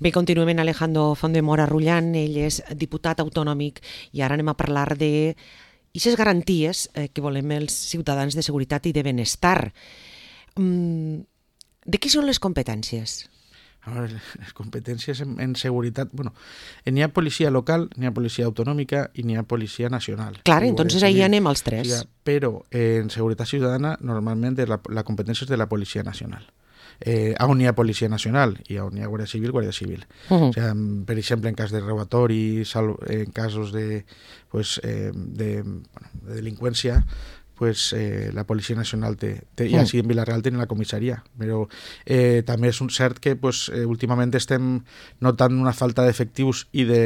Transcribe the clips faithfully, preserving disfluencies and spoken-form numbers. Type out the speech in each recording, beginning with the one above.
Bé, continuem amb Alejandro Font de Mora Rullan, ell és diputat autonòmic i ara anem a parlar de aquestes garanties eh, que volem els ciutadans de seguretat i de benestar. Mm, de què són les competències? A veure, les competències en, en seguretat... Bueno, n'hi ha policia local, n'hi ha policia autonòmica i n'hi ha policia nacional. Clar, entonces ahí anem als tres. Sí, però en seguretat ciutadana normalment la, la competència és de la policia nacional. Eh, on hi ha policia nacional i on hi ha guàrdia civil, guàrdia civil. Uh-huh. O sigui, per exemple, en cas de robatori, en casos de, pues, eh, de, bueno, de delinqüència, pues, eh, la Policia Nacional té, té uh-huh. i així en Vila-real tenen la comissaria, però eh, també és un cert que pues, eh, últimament estem notant una falta d'efectius i de,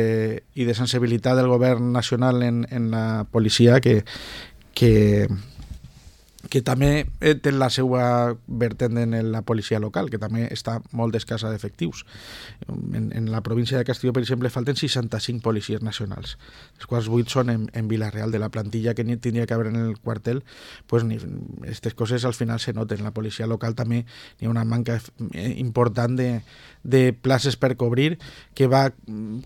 i de sensibilitat del govern nacional en, en la policia que, que que també té la seva vertent en la policia local, que també està molt escassa d'efectius. En, en la província de Castelló, per exemple, falten seixanta-cinc policies nacionals, els quals vuit són en, en Vila-real. De la plantilla que tindria que haver en el quartel, pues, aquestes coses al final se noten. En la policia local també hi ha una manca important de, de places per cobrir, que va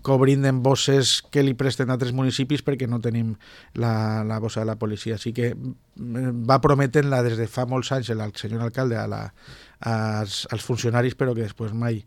cobrint en bosses que li presten a altres municipis perquè no tenim la, la bossa de la policia. Així que va prometent-la des de fa molts anys el senyor alcalde a la, als, als funcionaris, però que després mai,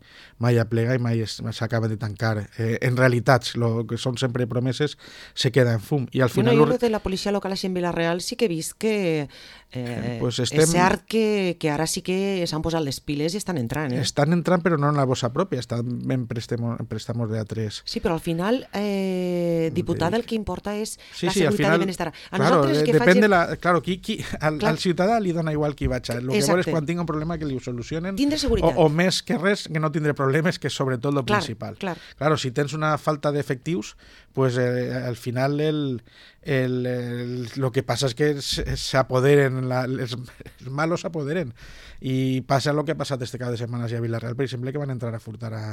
mai aplega i mai s'acaba de tancar. Eh, en realitat, el que són sempre promeses se queda en fum. I al final... Bueno, jo de la policia local així en Vila-real sí que he vist que eh, pues estem... és cert que, que ara sí que s'han posat les piles i estan entrant. Eh? Estan entrant, però no en la bossa pròpia, estan en préstamos, en préstamos de A tres. Sí, però al final, eh, diputat, el que importa és sí, la sí, seguretat final, i benestar. A claro, nosaltres que depèn facin... de la... Claro, qui, qui, al, al ciutadà li dona igual qui vaig. El que vol és quan tinga un problema que li ho solucionen. Tindre seguretat. O, o més que res, que no tindre problemes, que és sobretot el clar, principal. Clar. Claro, si tens una falta d'efectius, pues eh, al final el, el, el, lo que passa és que s'apoderen, la, els, els malos s'apoderen. I passa el que ha passat este cap de setmana a Vila-real, per exemple, que van entrar a furtar a,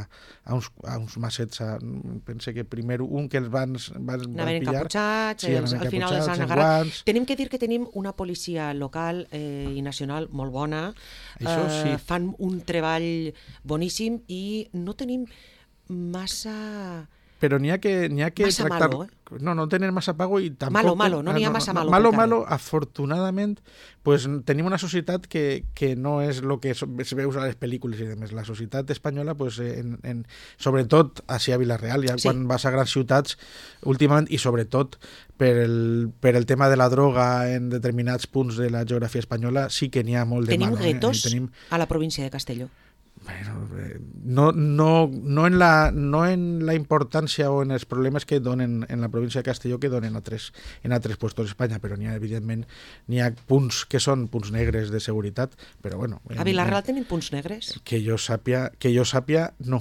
a, uns, a uns massets. A, pense que primer un que els van, van, van pillar. Encaputxats, sí, els, al final els han agarrat. Tenim que dir que tenim una policia local eh, i nacional molt bona. Això sí. Eh, fan un treball boníssim i no tenim massa... Però n'hi ha que, n'hi ha que massa tractar... malo, eh? No, no tenen massa pago i tampoc... Malo, malo, no n'hi ha massa malo. Malo, malo, afortunadament, pues, tenim una societat que, que no és el que es veu a les pel·lícules i demés. La societat espanyola, pues, en, en, sobretot així a Vila-real, ja sí. Quan vas a grans ciutats, últimament, i sobretot per el, per el tema de la droga en determinats punts de la geografia espanyola, sí que n'hi ha molt de tenim malo. Guetos eh? Tenim guetos a la província de Castelló. Bueno, no, no, no, en la, no en la importància o en els problemes que donen en la província de Castelló que donen a tres, en altres puestos d'Espanya, però n'hi ha, evidentment, n'hi ha punts que són punts negres de seguretat, però bueno... A Vila-real tenim punts negres? Que jo sàpia, que jo sàpia no,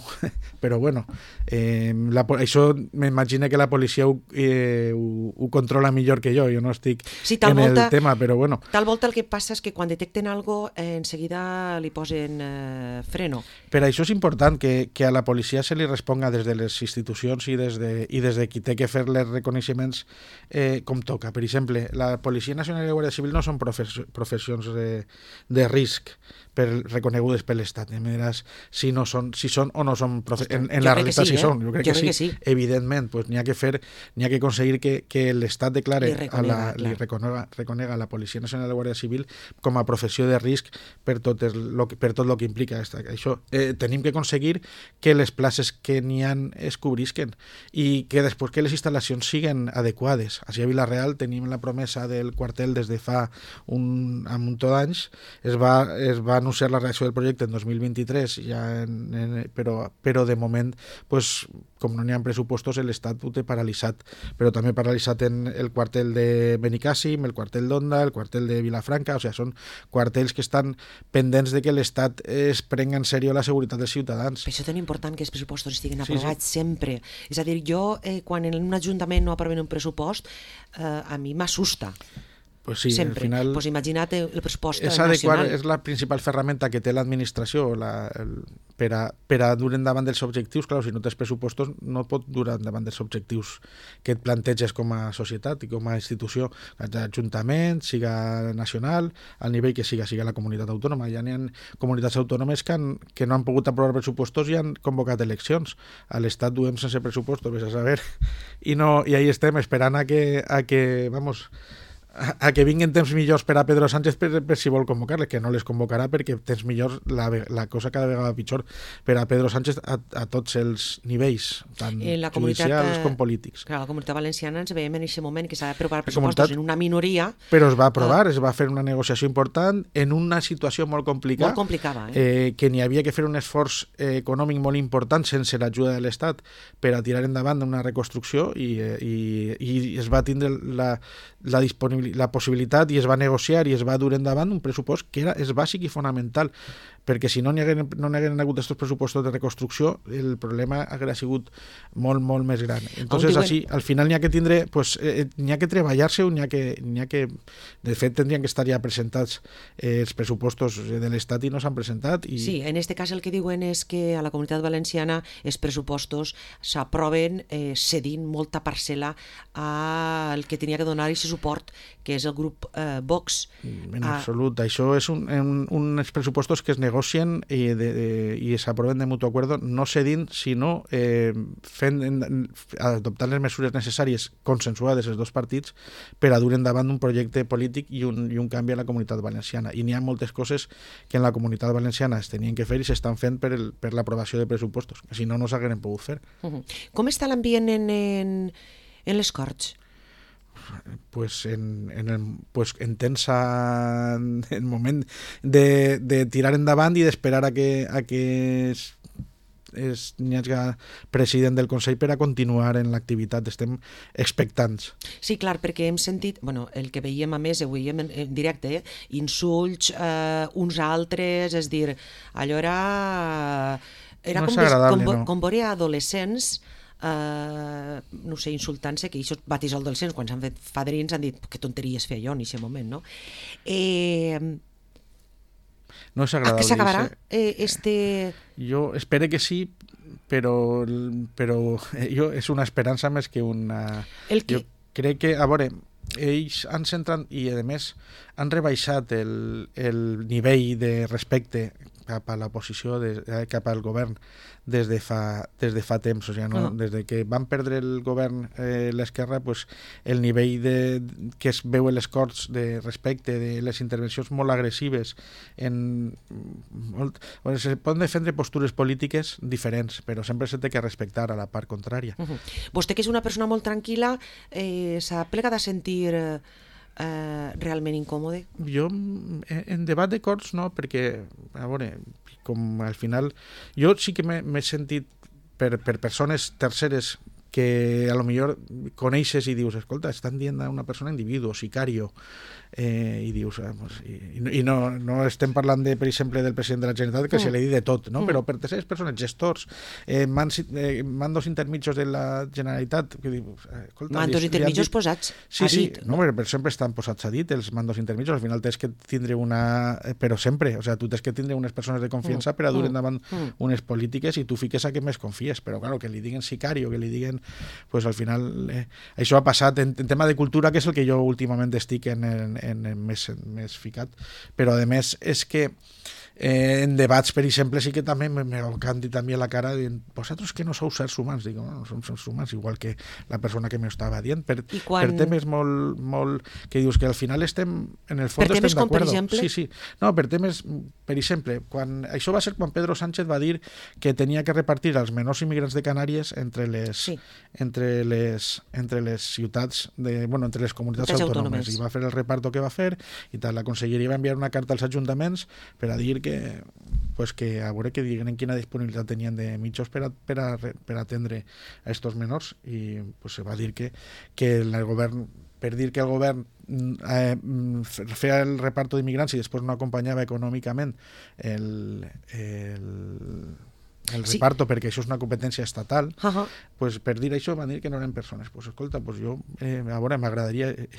però bueno, eh, la, això m'imagino que la policia ho, eh, ho, ho controla millor que jo, jo no estic sí, en volta, el tema, però bueno... Tal volta el que passa és que quan detecten algo, eh, enseguida li posen eh, freno. Per això és important que, que a la policia se li responga des de les institucions i des de, i des de qui té que fer les reconeixements eh, com toca. Per exemple, la Policia Nacional i la Guàrdia Civil no són profes, professions de, de risc per reconegudes per l'Estat. Em diràs si, no són, si són o no són profe... en, en la realitat sí, si eh? són. Jo crec, jo que, crec sí. que sí. Evidentment, pues, n'hi ha que fer, n'hi ha que aconseguir que, que l'Estat declare li reconega, a la, li reconega, reconega a la Policia Nacional i la Guàrdia Civil com a professió de risc per tot el, per tot el que implica esta, això. Eh, tenim que aconseguir que les places que n'hi ha es cobrisquen i que després que les instal·lacions siguin adequades. Així a Vila-real tenim la promesa del quartel des de fa un, un munt d'anys. Es va, es va anunciar la reacció del projecte en dos mil vint-i-tres, ja en, en, però, però de moment, pues, com no n'hi ha pressupostos, l'Estat ho té paralitzat. Però també paralitzat en el quartel de Benicàssim, el quartel d'Onda, el quartel de Vilafranca, o sigui, són quartels que estan pendents de que l'Estat es prenga en sèrio la seguretat dels ciutadans. Per això és tan important que els pressupostos estiguin aprovats sí, sí. sempre. És a dir, jo, eh, quan en un ajuntament no aproven un pressupost, eh, a mi m'assusta. Pues sí, sempre. al final Pues imagina't el pressupost és adequar, nacional. és la principal ferramenta que té l'administració la, el, per, a, per a dur endavant dels objectius. Clar, si no tens pressupostos no pot dur endavant dels objectius que et planteges com a societat i com a institució, ajuntament, siga nacional, al nivell que siga, siga la comunitat autònoma. Ja n'hi ha comunitats autònomes que, han, que no han pogut aprovar pressupostos i han convocat eleccions. A l'Estat duem sense pressupostos, vés a saber, i, no, i ahí estem esperant a que, a que vamos, a que vinguin temps millors per a Pedro Sánchez per, per si vol convocar-les, que no les convocarà perquè temps millors la, la cosa cada vegada pitjor per a Pedro Sánchez a, a tots els nivells, tant la judicials com polítics. Clar, la comunitat valenciana ens veiem en aquest moment que s'ha d'aprovar comunitat, pressupostos en una minoria. Però es va aprovar, uh, es va fer una negociació important en una situació molt complicada, molt complicada eh? Eh, que n'hi havia que fer un esforç eh, econòmic molt important sense l'ajuda de l'Estat per a tirar endavant una reconstrucció i, eh, i, i es va tindre la, la disponibilitat la possibilitat i es va negociar i es va dur endavant un pressupost que era, és bàsic i fonamental, perquè si no n'hi hagueren, no n'hi hagueren hagut aquests pressupostos de reconstrucció el problema hauria sigut molt, molt més gran. Entonces, diuen... així, al final n'hi ha que tindre, pues, eh, n'hi ha que treballar-se, n'hi ha que, n'hi ha que, de fet, tindrien que estar ja presentats eh, els pressupostos de l'Estat i no s'han presentat. I... Sí, en aquest cas el que diuen és que a la comunitat valenciana els pressupostos s'aproven eh, cedint molta parcel·la al que tenia que donar aquest suport, que és el grup eh, Vox. En absolut, ah. Això és un, un, uns pressupostos que es negocien i, de, de, i s'aproven de mutu acuerdo, no cedint, sinó eh, fent, en, adoptant les mesures necessàries consensuades els dos partits per a dur endavant un projecte polític i un, i un canvi a la comunitat valenciana. I n'hi ha moltes coses que en la comunitat valenciana es tenien que fer i s'estan fent per, el, per l'aprovació de pressupostos, que si no, no s'hagueren pogut fer. Uh-huh. Com està l'ambient en, en, en les Corts? Pues en, en, el, pues en tensa en el moment de, de tirar endavant i d'esperar a que, a que es, es, n'hi hagi president del Consell per a continuar en l'activitat. Estem expectants. Sí, clar, perquè hem sentit, bueno, el que veiem a més, ho veiem en, en directe, eh? insults eh, uns altres, és dir, allò era, era no com, és agradable, des, com, no. com veure adolescents Uh, no sé, insultant-se, que això batís el adolescents, quan s'han fet fadrins han dit que tonteries feia jo en aquest moment, no? Eh, no és agradable. A què s'acabarà eh, este... Jo espero que sí, però, però jo, és una esperança més que una... El que... Jo crec que, a veure, ells han centrat i, a més, han rebaixat el, el nivell de respecte cap a l'oposició, cap al govern, des de fa, des de fa temps. O sigui, no? uh-huh. Des de que van perdre el govern eh, l'esquerra, pues, el nivell de, que es veu en les Corts de respecte, de les intervencions molt agressives, en, molt, bueno, se poden defendre postures polítiques diferents, però sempre s'ha de respectar a la part contrària. Uh-huh. Vostè, que és una persona molt tranquil·la, eh, s'ha plegat a sentir... Eh... Uh, realment incòmode? Jo en debat de Corts no, perquè a veure, com al final jo sí que m'he sentit per, per persones terceres que a lo millor coneixes i dius, escolta, estan dient a una persona individu, sicario, eh, i dius, ah, pues, i, i no, no estem parlant, de, per exemple, del president de la Generalitat, que mm. se li dit de tot, no? Mm. Però per terceres persones, gestors, eh, mans, eh, mandos intermitjos de la Generalitat, que dius, escolta... Mandos li, intermitjos dit... posats sí, a sí, dit. No, però sempre estan posats a dit, els mandos intermitjos, al final tens que tindre una... Però sempre, o sea, tu tens que tindre unes persones de confiança mm. per a dur endavant mm. unes polítiques i tu fiques a què més confies, però claro, que li diguen sicario, que li diguen... Pues al final eh, això ha passat en, en tema de cultura, que és el que jo últimament estic en, en, en, en més, més ficat, però a més és que eh, en debats, per exemple, sí que també me, me canti també a la cara dient, vosaltres que no sou sers humans, dic, no, no som sers humans, igual que la persona que m'estava dient, per, quan... per temes molt, molt, que dius que al final estem, en el fons per estem d'acord. Sí, sí. No, per temes, per exemple, quan, això va ser quan Pedro Sánchez va dir que tenia que repartir els menors immigrants de Canàries entre les, sí. entre les, entre les ciutats, de, bueno, entre les comunitats les autònomes, autònomes, i va fer el reparto que va fer, i tal, la conselleria va enviar una carta als ajuntaments per a dir que, pues que a veure que diguen quina disponibilitat tenien de mitjos per a, per a, per a atendre a estos menors, i pues, se va dir que, que el govern, per dir que el govern eh, feia el reparto d'immigrants i després no acompanyava econòmicament el, el el Sí. reparto, perquè això és una competència estatal, Uh -huh. pues, per dir això van dir que no eren persones. Pues, escolta, pues jo, eh, a veure, m'agradaria eh,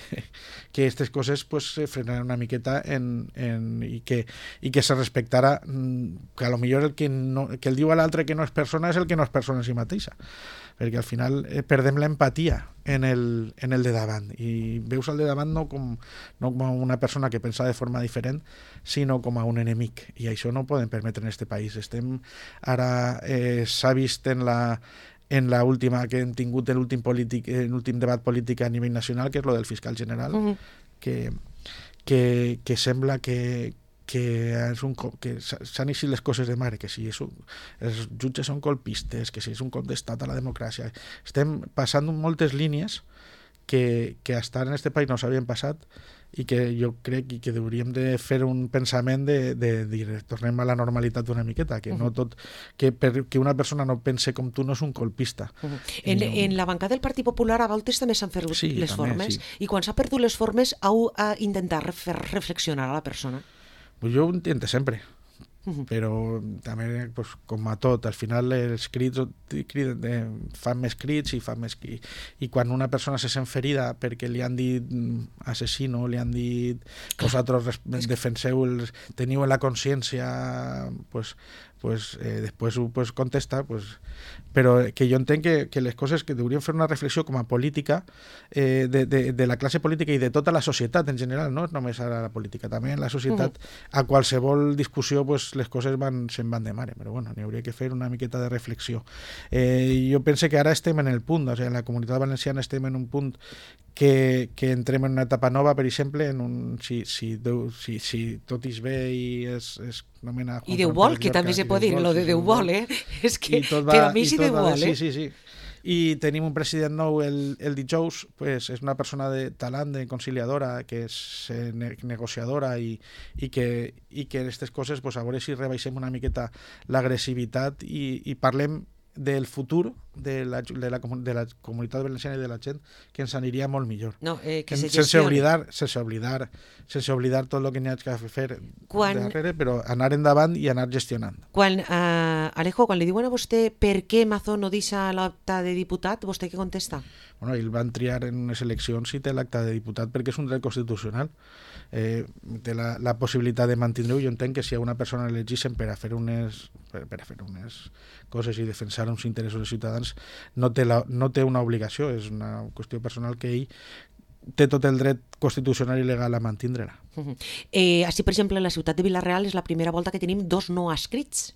que aquestes coses pues, se frenaran una miqueta en, en, i, que, i que se respectara que a lo millor el que, no, que el diu a l'altre que no és persona és el que no és persona en si mateixa, perquè al final eh, perdem l'empatia en el, en el de davant, i veus el de davant no com, no com a una persona que pensa de forma diferent, sinó com a un enemic, i això no ho podem permetre en este país. Estem ara, eh, s'ha vist en la en la última que hem tingut en l'últim polític, en l'últim debat polític a nivell nacional, que és lo del fiscal general, uh -huh. que, que, que sembla que que, és un, que s'han eixit les coses de mare, que si és un, els jutges són colpistes, que si és un cop d'estat a la democràcia. Estem passant moltes línies que, que hasta en este país no s'havien passat, i que jo crec que hauríem de fer un pensament de, de dir, tornem a la normalitat una miqueta, que, uh -huh. no tot, que, per, que una persona no pense com tu no és un colpista. Uh -huh. en, no... en la bancada del Partit Popular a voltes també s'han perdut sí, les també, formes, sí. I quan s'ha perdut les formes heu a intentar fer reflexionar a la persona. Pues jo ho intento sempre, uh-huh. però també, pues, com a tot, al final els crits eh, fan més crits i fan més crits. I quan una persona se sent ferida perquè li han dit assassino, li han dit vosaltres defenseu, els, teniu en la consciència, pues, pues, eh, després ho pues, contesta, pues, però que jo entenc que, que les coses que hauríem fer una reflexió com a política eh, de, de, de la classe política i de tota la societat en general, no només ara la política, també en la societat, uh-huh. a qualsevol discussió pues, les coses van, se'n van de mare, però bueno, n'hi hauria que fer una miqueta de reflexió. Eh, jo pense que ara estem en el punt, o sigui, en la Comunitat Valenciana estem en un punt que, que entrem en una etapa nova, per exemple, en un, si, si, Déu, si, si tot és bé i es, es nomena I Déu vol, que també se pot dir, lo de Déu vol, eh? És que, va, però a mi sí Déu vol, eh? Sí, sí, sí. I tenim un president nou el, el dijous, pues, és una persona de talent, de conciliadora, que és eh, ne negociadora i, i, que, i que aquestes coses, pues, a veure si rebaixem una miqueta l'agressivitat i, i parlem del futur de la, de, la, de la comunitat valenciana i de la gent, que ens aniria molt millor. No, eh, que se sense oblidar, sense oblidar, sense oblidar tot el que n'hi ha que fer quan... darrere, però anar endavant i anar gestionant. Quan, uh, Alejo, quan li diuen a vostè per què Mazón no deixa l'acte de diputat, vostè què contesta? Bueno, ell van triar en unes eleccions i té l'acte de diputat perquè és un dret constitucional. Eh, té la, la possibilitat de mantenir-ho. Jo entenc que si a una persona l'elegixen per a fer unes per, per a fer unes coses i defensar uns interessos de ciutadans, no té, la, no té una obligació, és una qüestió personal que ell té tot el dret constitucional i legal a mantindre-la. Uh-huh. eh, així, per exemple, la ciutat de Vila-real és la primera volta que tenim dos no escrits.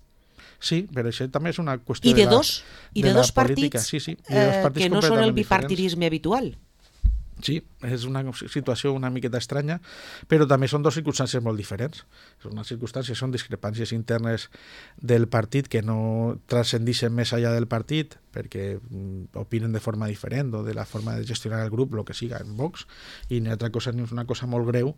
Sí, però això també és una qüestió I de, de, dos, la, i de, de dos la partits, política. Sí, sí, i de dos partits eh, que no són el diferents. bipartidisme habitual. Sí, és una situació una miqueta estranya, però també són dues circumstàncies molt diferents. Són unes circumstàncies, són discrepàncies internes del partit que no transcendixen més allà del partit perquè opinen de forma diferent o de la forma de gestionar el grup, el que siga, en Vox, i una altra cosa, una cosa molt greu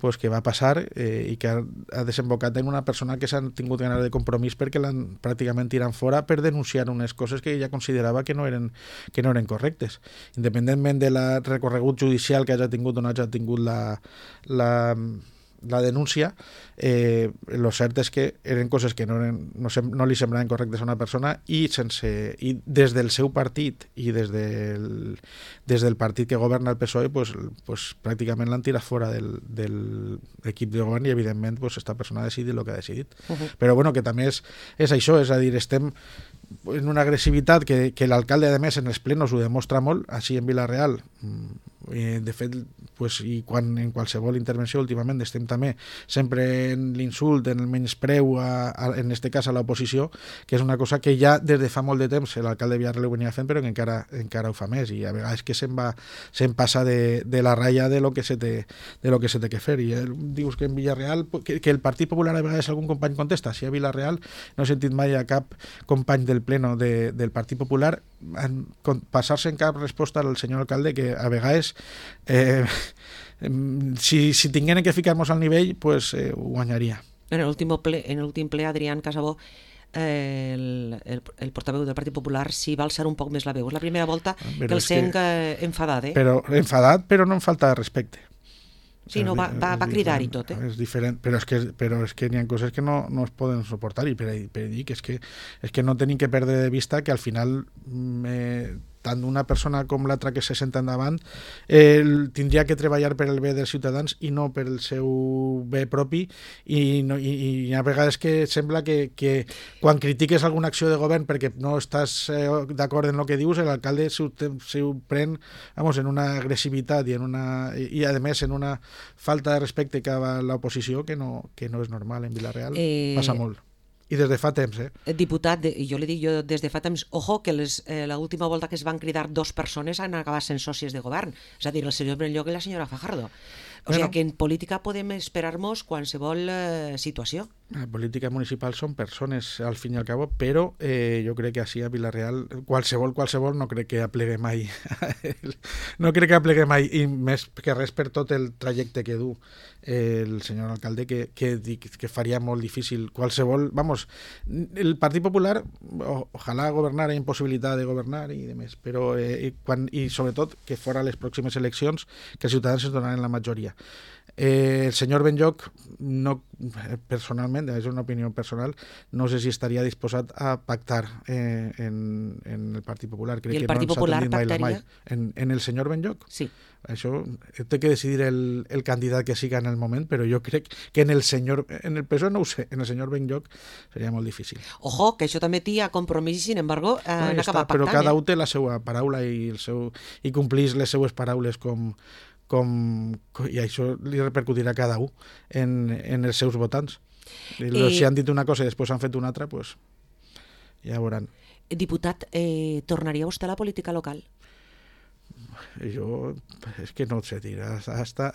pues, que va passar eh, i que ha, ha desembocat en una persona que s'ha tingut ganes de compromís perquè l'han pràcticament tirat fora per denunciar unes coses que ella considerava que no eren, que no eren correctes. Independentment de la recorregut judicial que hagi tingut o no hagi tingut la, la, la denúncia, eh, lo cert és que eren coses que no, eren, no, sem, no li semblaven correctes a una persona i, sense, i des del seu partit i des del, des del partit que governa el P S O E pues, pues, pràcticament l'han tirat fora del, del equip de govern i evidentment pues, esta persona ha decidit el que ha decidit. Uh-huh. Però bueno, que també és, és això, és a dir, estem en una agressivitat que, que l'alcalde a més en els plenos ho demostra molt, així en Vila-real. Eh, de fet, pues, i quan en qualsevol intervenció últimament estem també sempre en l'insult, en el menyspreu a, a, en este cas a l'oposició, que és una cosa que ja des de fa molt de temps l'alcalde de Villarreal ho venia fent, però que encara, encara ho fa més, i a vegades que se'n va se'n passa de, de la ratlla de lo que se té, de lo que se té que fer. I eh, dius que en Villarreal, que, que el Partit Popular a vegades algun company contesta, si a Villarreal no he sentit mai a cap company del pleno de, del Partit Popular en, passar-se en cap resposta al senyor alcalde, que a vegades eh, si, si tingueren que ficar-nos al nivell pues eh, ho guanyaria. En l'últim ple, en l'últim ple Adrián Casabó, eh, el, el, el portaveu del Partit Popular s'hi va alçar un poc més la veu. És la primera volta però que el sent que... enfadat, eh? Però, enfadat, però no em falta respecte. Sí, no, va, va, va cridar i tot, eh? És diferent, però és que, però és que n'hi ha coses que no, no es poden suportar i per, per dir que és que, és que no tenim que perdre de vista que al final eh, tant una persona com l'altra que se senta endavant eh, tindria que treballar per el bé dels ciutadans i no per el seu bé propi i, no, i, i hi ha vegades que sembla que, que quan critiques alguna acció de govern perquè no estàs eh, d'acord en el que dius, l'alcalde s'ho ho pren vamos, en una agressivitat i, en una, i, i a més en una falta de respecte cap a l'oposició que no, que no és normal en Vila-real, eh... passa molt. I des de fa temps, eh? Diputat, i jo li dic jo des de fa temps, ojo, que les, eh, l'última volta que es van cridar dos persones han acabat sent sòcies de govern, és a dir, el senyor Benlloc i la senyora Fajardo. O bueno, sigui que en política podem esperar-nos qualsevol eh, situació. La política municipal són persones, al fin i al cabo, però eh, jo crec que així a Vila-real, qualsevol, qualsevol, no crec que aplegue mai. no crec que aplegue mai, i més que res per tot el trajecte que du eh, el senyor alcalde, que, que, que faria molt difícil qualsevol... Vamos, el Partit Popular, o, ojalà governara impossibilitat de governar i demés, però eh, i, quan, i sobretot que fora les pròximes eleccions que els ciutadans es donaran la majoria. Eh, el senyor Benlloc, no, personalment, és una opinió personal, no sé si estaria disposat a pactar eh, en, en el Partit Popular. Crec I el que Partit no Popular pactaria? En, en el senyor Benlloc? Sí. Això té que decidir el, el candidat que siga en el moment, però jo crec que en el senyor, en el P S O E no ho sé, en el senyor Benlloc seria molt difícil. Ojo, que això també tia compromís i, sin embargo, eh, no, han acabat pactant. Però cada eh? un té la seva paraula i, el seu, i complís les seues paraules com, com, i això li repercutirà a cada un en, en els seus votants. I, I... Si han dit una cosa i després han fet una altra, pues, ja veuran. Diputat, eh, tornaria vostè a la política local? Jo, és que no et sé dir, hasta...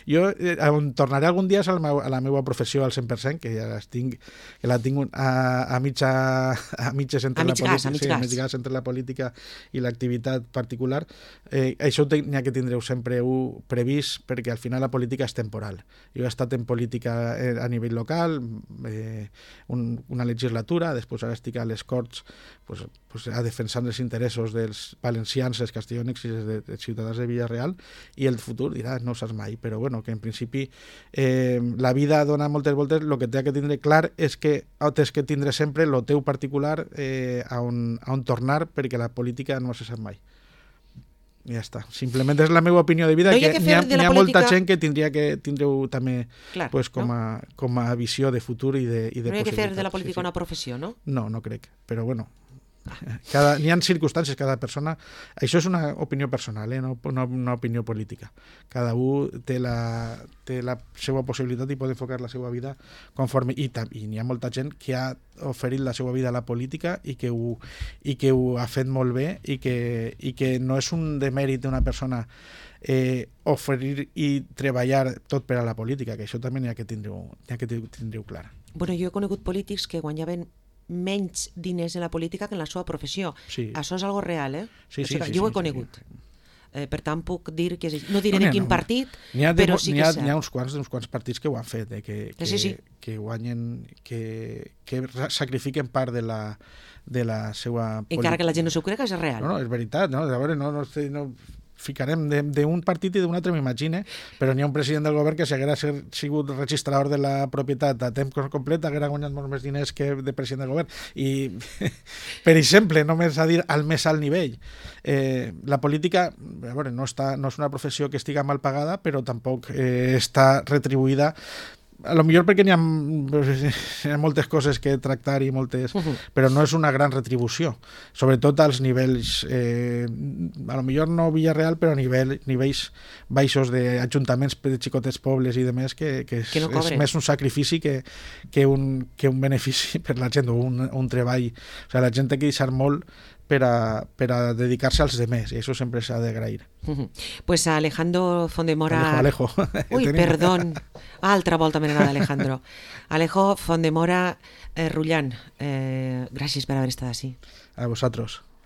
jo eh, tornaré algun dia a la, meva, a la meva professió al cent per cent, que ja les tinc, que la tinc a, a, mitja, a mitges entre, a la, gas, sí, a mig gas entre la política i l'activitat particular. Eh, això n'hi ha que tindreu sempre un previst, perquè al final la política és temporal. Jo he estat en política a nivell local, eh, un, una legislatura, després ara estic a les Corts pues, pues, a defensar els interessos dels valencians, els castellònics i els de ciutadans de Vila-real, i el futur dirà, no saps mai, però bueno, que en principi eh, la vida dona moltes voltes, el que té que tindre clar és que tens que tindre sempre el teu particular eh, a, on, a on tornar, perquè la política no se sap mai. I ja està. Simplement és la meva opinió de vida, no, que, que n'hi ha, n'hi ha política... molta gent que tindria que tindreu també clar, pues, com, a, no? com a visió de futur i de, i de no hi ha que fer de la sí, política sí. una professió, no? No, no crec, però bueno, cada, n'hi ha circumstàncies, cada persona, això és una opinió personal, eh? no, no una opinió política, cada un té la, té la seva possibilitat i pot enfocar la seva vida conforme, i, i n'hi ha molta gent que ha oferit la seva vida a la política i que ho, i que ho ha fet molt bé i que, i que no és un demèrit d'una persona eh, oferir i treballar tot per a la política, que això també n'hi ha que tindreu, n'hi ha que tindreu clar. Bueno, jo he conegut polítics que guanyaven menys diners en la política que en la seva professió. Sí. Això és algo real, eh? Sí, sí, o sigui, sí, jo ho he sí, conegut. Sí. Eh, per tant, puc dir que... És... No diré no, de quin no, partit, de, però sí que és cert. N'hi ha uns quants, uns quants partits que ho han fet, eh, que, que, sí, sí. que guanyen, que, que sacrifiquen part de la, de la seva... Encara que la gent no s'ho crec, és real. No, no, és veritat, no? A veure, no, no, no ficarem d'un partit i d'un altre, m'imagine, però n'hi ha un president del govern que si haguera sigut registrador de la propietat a temps complet haguera guanyat molts més diners que de president del govern. I, per exemple, només a dir al més alt nivell, eh, la política, a veure, no, està, no és una professió que estiga mal pagada, però tampoc eh, està retribuïda, a lo millor perquè n'hi ha, hi ha moltes coses que tractar i moltes, uh-huh. però no és una gran retribució, sobretot als nivells eh, a lo millor no Vila-real, però a nivell, nivells baixos d'ajuntaments de xicotets pobles i demés, que, que, és, que no és més un sacrifici que, que, un, que un benefici per la gent, o un, un treball. O sigui, la gent té que deixar molt per a, per a dedicar-se als demés, i això sempre s'ha d'agrair. Uh-huh. Pues a Alejandro Fondemora... Alejo, Alejo. Uy, perdón. Altra volta m'he anat d'Alejandro. Alejo Fondemora eh, Rullán, eh, gràcies per haver estat així. A vosaltres.